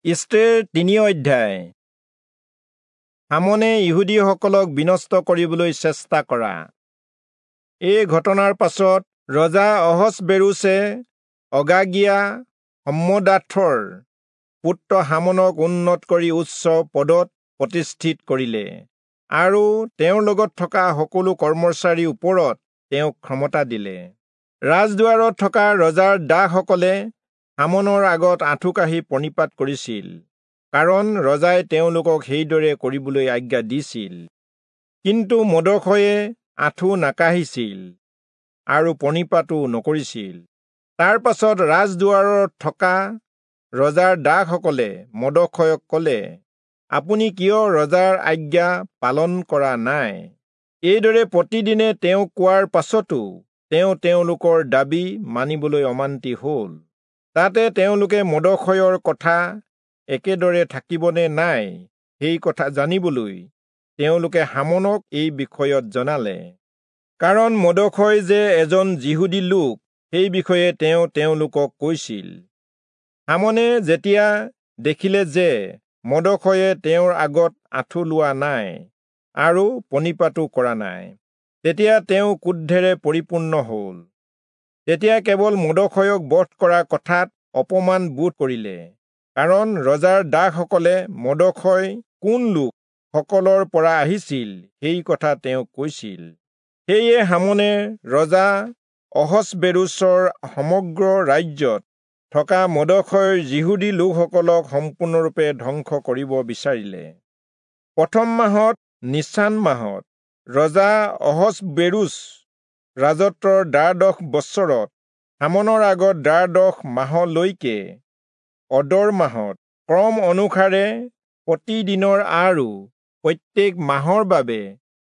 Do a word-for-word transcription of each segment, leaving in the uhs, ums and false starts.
ইষ্টেৰ তিনি অধ্যায়। হামনে ইহুদীসকলক বিনষ্ট কৰিবলৈ চেষ্টা কৰা। এই ঘটনাৰ পাছত ৰজা অহচবেৰুচে অগাগীয়া হম্মদাথৰ পুত্ৰ হামনক উন্নত কৰি উচ্চ পদত প্ৰতিষ্ঠিত কৰিলে আৰু তেওঁৰ লগত থকা সকলো কৰ্মচাৰীৰ ওপৰত তেওঁক ক্ষমতা দিলে। ৰাজদুৱাৰত থকা ৰজাৰ দাসসকলে হামনৰ আগত আঁঠু কাঢ়ি প্ৰণিপাত কৰিছিল, কাৰণ ৰজাই তেওঁলোকক সেইদৰে কৰিবলৈ আজ্ঞা দিছিল। কিন্তু মৰ্দখয়ে আঁঠু নাকাঢ়িছিল আৰু প্ৰণিপাতো নকৰিছিল। তাৰ পাছত ৰাজদুৱাৰত থকা ৰজাৰ দাসসকলে মৰ্দখয়ক ক'লে, আপুনি কিয় ৰজাৰ আজ্ঞা পালন কৰা নাই? এইদৰে প্ৰতিদিনে তেওঁ কোৱাৰ পাছতো তেওঁ তেওঁলোকৰ দাবী মানিবলৈ অমান্তি হ'ল। তাতে তেওঁলোকে মৰ্দখয়ৰ কথা একেদৰে থাকিবনে নাই সেই কথা জানিবলৈ তেওঁলোকে হামনক এই বিষয়ত জনালে, কাৰণ মৰ্দখয় যে এজন যিহুদী লোক সেই বিষয়ে তেওঁ তেওঁলোকক কৈছিল। হামনে যেতিয়া দেখিলে যে মৰ্দখয়ে তেওঁৰ আগত আঁঠু লোৱা নাই আৰু প্ৰণিপাতো কৰা নাই, তেতিয়া তেওঁ ক্ৰোধেৰে পৰিপূৰ্ণ হ'ল। তেতিয়া কেৱল মৰ্দখয়ক বধ কৰা কথাত অপমান বোধ কৰিলে, কাৰণ ৰজাৰ দাসসকলে মৰ্দখয় কোন লোক সকলৰ পৰা আহিছিল সেই কথা তেওঁক কৈছিল। সেয়ে হামনে ৰজা অহচবেৰুচৰ সমগ্ৰ ৰাজ্যত থকা মৰ্দখয়ৰ যিহুদী লোকসকলক সম্পূৰ্ণৰূপে ধ্বংস কৰিব বিচাৰিলে। প্ৰথম মাহত নিচান মাহত ৰজা অহচবেৰুচ ৰাজত্বৰ দ্বাদশ বছৰত হামনৰ আগত দ্বাদশ মাহলৈকে অদৰ মাহত ক্ৰম অনুসাৰে প্ৰতিদিনৰ আৰু প্ৰত্যেক মাহৰ বাবে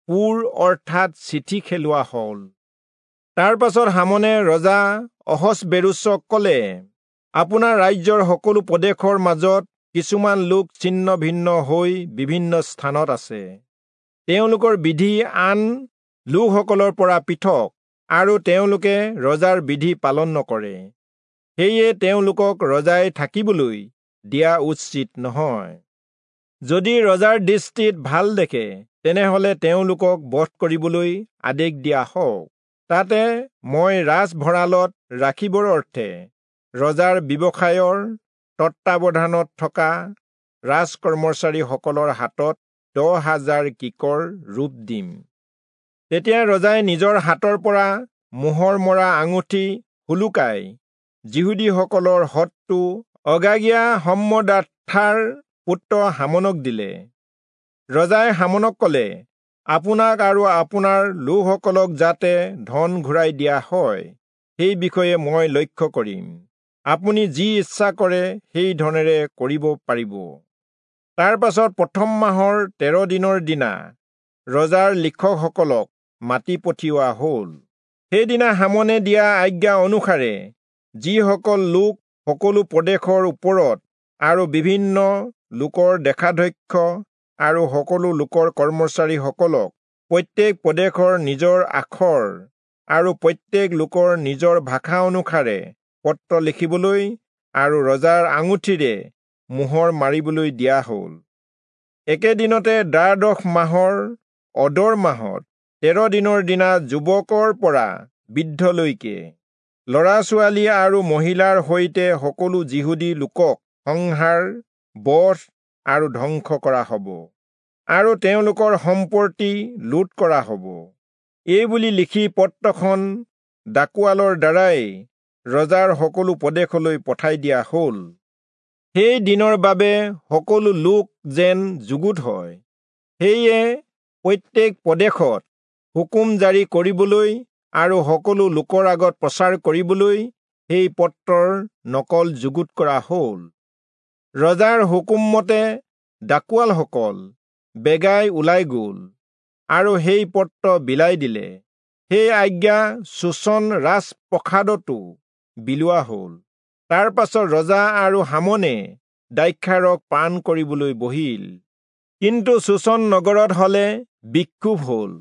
পুৰ অৰ্থাৎ চিঠি খেলোৱা হ'ল। তাৰ পাছত হামনে ৰজা অহচবেৰুচক ক'লে, আপোনাৰ ৰাজ্যৰ সকলো প্ৰদেশৰ মাজত কিছুমান লোক ছিন্ন ভিন্ন হৈ বিভিন্ন স্থানত আছে। তেওঁলোকৰ বিধি আন লোকসকলৰ পৰা পৃথক আৰু তেওঁলোকে ৰজাৰ বিধি পালন নকৰে। সেয়ে তেওঁলোকক ৰজাই থাকিবলৈ দিয়া উচিত নহয়। যদি ৰজাৰ দৃষ্টিত ভাল দেখে, তেনেহলে তেওঁলোকক বধ কৰিবলৈ আদেশ দিয়া হওক। তাতে মই ৰাজভঁৰালত ৰাখিবৰ অৰ্থে ৰজাৰ ব্যৱসায়ৰ তত্বাৱধানত থকা ৰাজকৰ্মচাৰীসকলৰ হাতত দহ হাজাৰ কিকৰ ৰূপ দিম। তেতিয়া ৰজাই নিজৰ হাতৰ পৰা মোহৰ মৰা আঙুঠি সোলোকাই যিহুদীসকলৰ শত্ৰু অগাগীয়া হম্মদাথাৰ পুত্ৰ হামনক দিলে। ৰজাই হামনক ক'লে, আপোনাক আৰু আপোনাৰ লোকসকলক যাতে ধন ঘূৰাই দিয়া হয় সেই বিষয়ে মই লক্ষ্য কৰিম। আপুনি যি ইচ্ছা কৰে সেই ধনেৰে কৰিব পাৰিব। তাৰ পাছত প্ৰথম মাহৰ তেৰ দিনৰ দিনা ৰজাৰ লিখকসকলক মাতি পঠিওৱা হ'ল। সেইদিনা হামনে দিয়া আজ্ঞা অনুসাৰে যিসকল লোক সকলো প্ৰদেশৰ ওপৰত আৰু বিভিন্ন লোকৰ দেশাধ্যক্ষ আৰু সকলো লোকৰ কৰ্মচাৰীসকলক প্ৰত্যেক প্ৰদেশৰ নিজৰ আখৰ আৰু প্ৰত্যেক লোকৰ নিজৰ ভাষা অনুসাৰে পত্ৰ লিখিবলৈ আৰু ৰজাৰ আঙুঠিৰে মোহৰ মাৰিবলৈ দিয়া হ'ল। একেদিনতে দ্বাদশ মাহৰ অদৰ মাহত তেৰ দিনৰ দিনা যুৱকৰ পৰা বৃদ্ধলৈকে ল'ৰা ছোৱালী আৰু মহিলাৰ সৈতে সকলো যিহুদী লোকক সংহাৰ, বধ আৰু ধ্বংস কৰা হ'ব আৰু তেওঁলোকৰ সম্পত্তি লুট কৰা হ'ব। এই বুলি লিখি পত্ৰখন ডাকোৱালৰ দ্বাৰাই ৰজাৰ সকলো প্ৰদেশলৈ পঠাই দিয়া হ'ল। সেই দিনৰ বাবে সকলো লোক যেন যুগুত হয়, সেয়ে প্ৰত্যেক প্ৰদেশত হুকুম জাৰি কৰিবলৈ আৰু সকলো লোকৰ আগত প্ৰচাৰ কৰিবলৈ সেই পত্ৰৰ নকল যুগুত কৰা হ'ল। ৰজাৰ হুকুমমতে ডাকোৱালসকল বেগাই ওলাই গ'ল আৰু সেই পত্ৰ বিলাই দিলে। সেই আজ্ঞা চূচন ৰাজপ্ৰসাদতো বিলোৱা হ'ল। তাৰ পাছত ৰজা আৰু হামনে দ্ৰাক্ষাৰস পান কৰিবলৈ বহিল। কিন্তু চূচন নগৰত হলে বিক্ষোভ হ'ল।